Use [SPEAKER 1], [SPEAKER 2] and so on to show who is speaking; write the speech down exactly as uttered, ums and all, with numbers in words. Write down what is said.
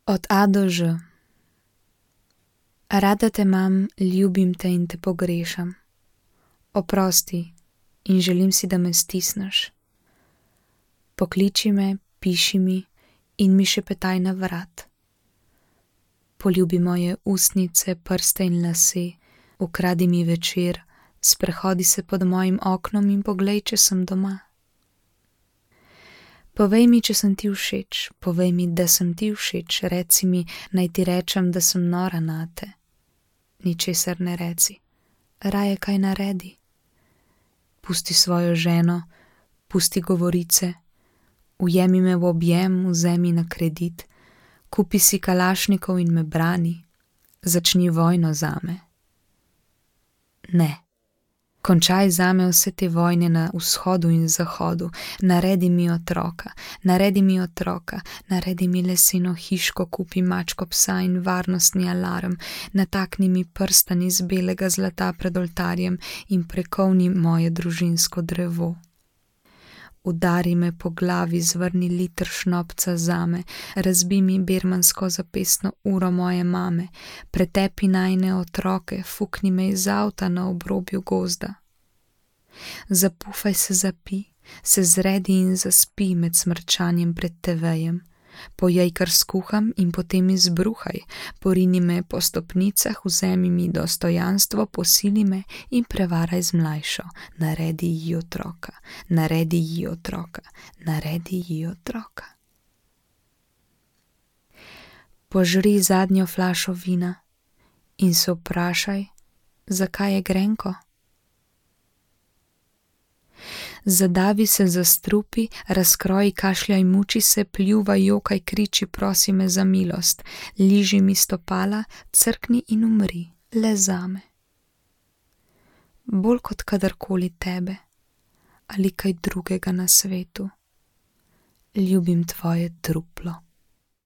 [SPEAKER 1] Od A do Ž. Rada te imam, ljubim te in te pogrešam. Oprosti in želim si, da me stisneš. Pokliči me, piši mi in mi šepetaj na vrat. Poljubi moje ustnice, prste in lase, ukradi mi večer, sprehodi se pod mojim oknom in poglej, če sem doma. Povej mi, če sem ti všeč, povej mi, da sem ti všeč, reci mi, naj ti rečem, da sem nora nate. Ničesar ne reci, raje kaj naredi. Pusti svojo ženo, pusti govorice, ujemi me v objem, vzemi na kredit, kupi si kalašnikov in me brani, začni vojno zame. Ne. Končaj zame vse te vojne na vzhodu in zahodu, naredi mi otroka, naredi mi otroka, naredi mi leseno hiško, kupi mačko psa in varnostni alarm, natakni mi prstan iz belega zlata pred oltarjem in prekovni moje družinsko drevo. Udari me po glavi, zvrni liter šnopca zame, razbi mi birmansko zapestno uro moje mame, pretepi najine otroke, fukni me iz avta na obrobju gozda. Zapufaj se zapi, se zredi in zaspi med smrčanjem pred tevejem. Pojej, kar skuham in potem izbruhaj, porini me po stopnicah, vzemi mi dostojanstvo, posili me in prevaraj z mlajšo, naredi ji otroka, naredi ji otroka, naredi ji otroka. Požri zadnjo flašo vina in se vprašaj, zakaj je grenko. Zadavi se, zastrupi, razkroji, kašljaj, muči se, pljuvaj, jokaj, kriči, prosi me za milost, liži mi stopala, crkni in umri, le zame. Bolj kot kadarkoli tebe ali kaj drugega na svetu. Ljubim tvoje truplo.